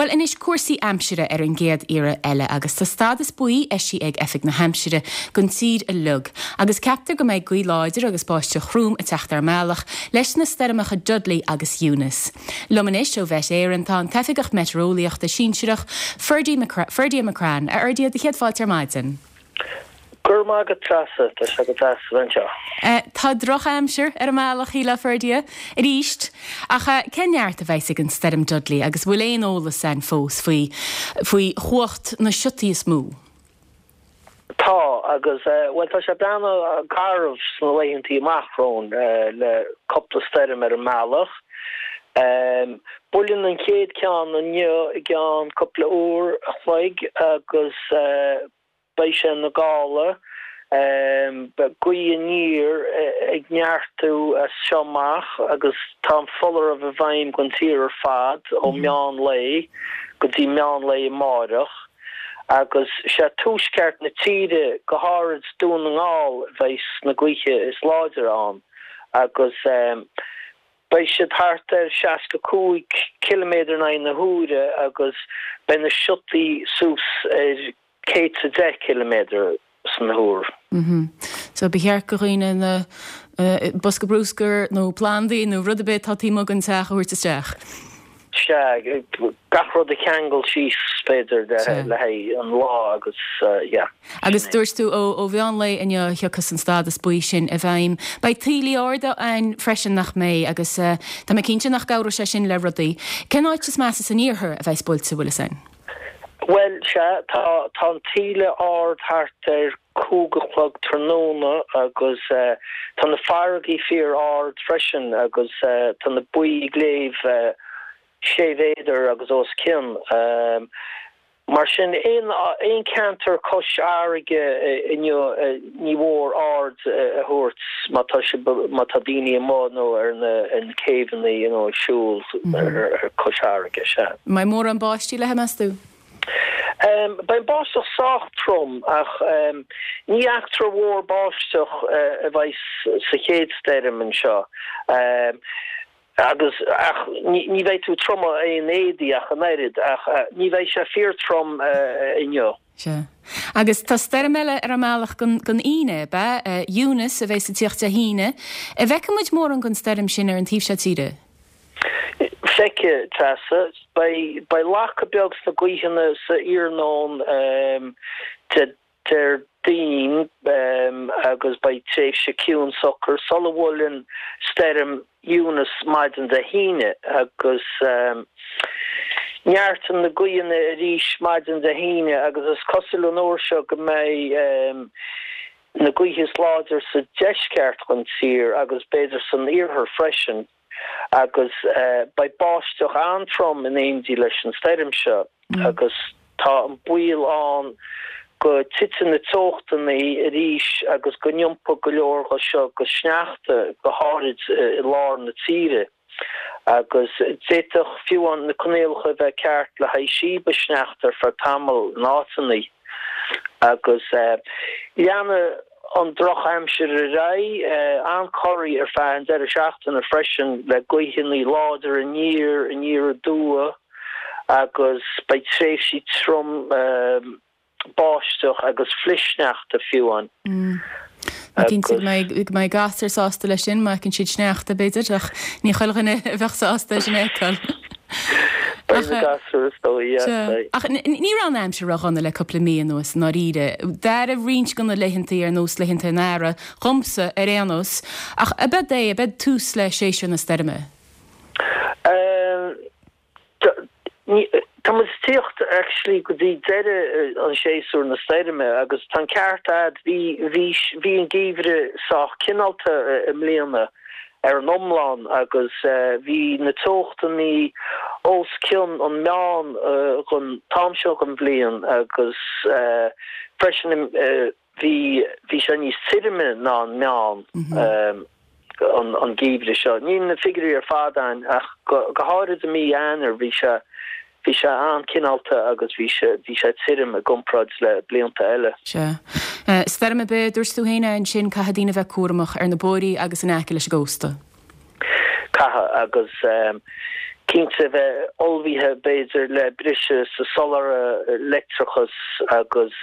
Bhuel anois cúrsaí aimsire ar an gcéad iarraidh eile agus tá stádas buí eisithe ag Oifig na hAimsire don tír uilig agus ceaptar go mbeidh gaoth láidir agus báisteach throm ag teacht ar an mbealach leis na stoirmeacha Dudley agus Eunice. Liom anois ó Mhet Éireann tá an tOifigeach Meitéareolaíochta Sinsearach, Ferdia McCrann. A Fherdia, do chéad fáilte ar maidin. Go raibh maith agat Treasa, tá sé go deas a bheith anseo. Tá drochaimsir ar an mbealach, shílfeá, Ferdia, arís. Ach cén neart a bheas ag an stoirm Dudley agus bhfuil aon eolas ann fós faoi faoi chumhacht na siotaí is mó? Tá, agus, bhuel tá sé ag breathnú garbh sna laethantaí amach romhainn le cúpla stoirm ar an mbealach. Buaileann an chéad ceann inniu i gceann cúpla uair a chloig agus Beidh sé ina gála. Beidh gaoth aniar ag neartú as seo amach agus tá an foláireamh i bhfeidhm don tír ar fad ó meán lae go dtí meán lae amáireach. Agus sé tuaisceart na tíre, go háirid Dún na nGall, a bheidh sna gaoithe is láidre ann agus beidh siad thart ar 65 ciliméadar in aghaidh na huaire agus beidh na siotaí suas ar 110 ciliméadar san uair. So ba cheart do dhaoine na bosca brúscair nó plandaí nó rud ar bith atá taobh amuigh den teach a thabhairt isteach. Sea, gach rud a cheangal síos b'fhéidir le haghaidh an lá agus yeah. Agus dúirt tú ó mheán lae inniu a thiocfas an stádas buí sin i bhfeidhm. Beidh taoillí arda ann freisin nach mbeidh agus tá mé cinnte nach gcabhróidh sé sin le rudaí. Cén áit is measa san iarthar a bheas buailte, bhfuil fhios a'inn? Bhuel, sea, tá, tá an taoille ard thart ar chúig a chlog tráthnóna agus tá na farraigí fíor ard freisin agus tá na baoi ag léamh sé mhéadar agus os cionn. Mar sin, aon, aon ceantar cois fharraige inniu ní mór aird a thabhairt má tá sibh, má tá daoine amuigh nó ar na, ar na céibheanna, you know, ag siúl ar cois fharraige, sea. Mbeidh mórán báistí léi, meas tú? Beidh an báisteach sách trom ach ní eachtra mhór báisteach a bheidh sa chéad stoirm anseo agus ach ní bheidh tú ag triomú aon éadaí ach an oiread ach ní bheidh sé fíor trom inniu. Sea. Agus tá stoirm eile ar an mbealach don Aoine, ab ea? Eunice a bheas ag tíocht Dé hAoine. An bhfeicfidh muid mórán den stoirm sin ar an taobh seo tíre? Feicfidh, Treasa. Beidh lacadh beag sna gaoitheanna sa iarnóin Déardaoin agus beidh tréimhse ciúin socair sula bhuaileann stoirm Eunice maidin Dé hAoine agus neartaíonn na gaoitheanna arís maidin Dé hAoine agus is cosúil an uair seo go mbeidh na gaoithe is láidir sa deisceart den tír agus b'fhéidir san iarthar freisin agus beidh báisteach an-trom in éindí leis an stoirm seo agus tá an baol ann go dtitfidh na teochtanna arís agus go n-iompóidh go leor de seo go sneachta, go háirid i lár na tíre. Agus d'fhéadfadh fiú amháin na coinníollacha a bheith ceart le haghaidh síobadh sneachta ar feadh tamaill in áiteanna. Agus leanfaidh an drochaimsir ar aghaidh, an-corraí ar feadh an deireadh seachtaine freisin le gaoitheanna láidre aniar, aniar aduaidh agus beidh tréimhsí trom báisteach agus flichshneachta fiú amháin. Ní cinnte go mbeidh go mbeidh gasúir sásta leis sin, má fheiceann siad sneachta, b'fhéidir, ach ní chuile dhuine a bheadh sásta é sin a fheiceáil. Beidh na gasúir is dóigh, yeah, Sea. beidh. Ach ní raibh an aimsir ródhona le cúpla mí anuas, i ndáiríre. D'éirigh roinnt de na laethantaí ar nós laethanta an earraigh, dhomsa, ar aon nós. Ach ab ead é, ab ead tús le séasúr na stoirme? Tá muid ag tíocht actually go dtí deireadh an séasúr na stoirme agus tá an ceart a'd, bhí, bhí, bhí an geimhreadh sách cineálta i mbliana ar an iomlán agus bhí na teochtannaí os cionn an meán don t-am seo den bhliain agus freisin Bhí, bhí sé níos tirime ná an meán an geimhreadh seo. Níl na figiúirí ar fad a'inn ach go háirid i mí Eanáir bhí sé, bhí sé an-cineálta agus bhí sé, bhí sé tirim i gcomparáid le blianta eile. Sea. Stoirm ar bith, dúirt tú féin ansin, caithfidh daoine a bheith cúramach ar na bóithrí agus in aice leis an gcósta. Caithfidh, agus. Cinnte, bheith ullmhaithe, b'fhéidir, le briseadh sa soláthar leictreachais agus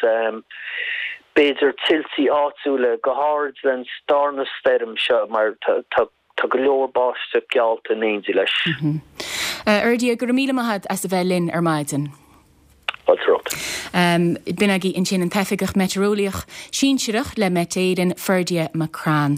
b'fhéidir tuiltí áitiúla, go háirid len darna stoirm seo mar tá go leor báisteach geallta in éindí leis. A Fherdia, go raibh míle maith agat as a bheith linn ar maidin. Fáilte romhat. B'in agaibh ansin an tOifigeach Meitéareolaíoch Sinsearach le Met Éireann, Ferdia McCrann.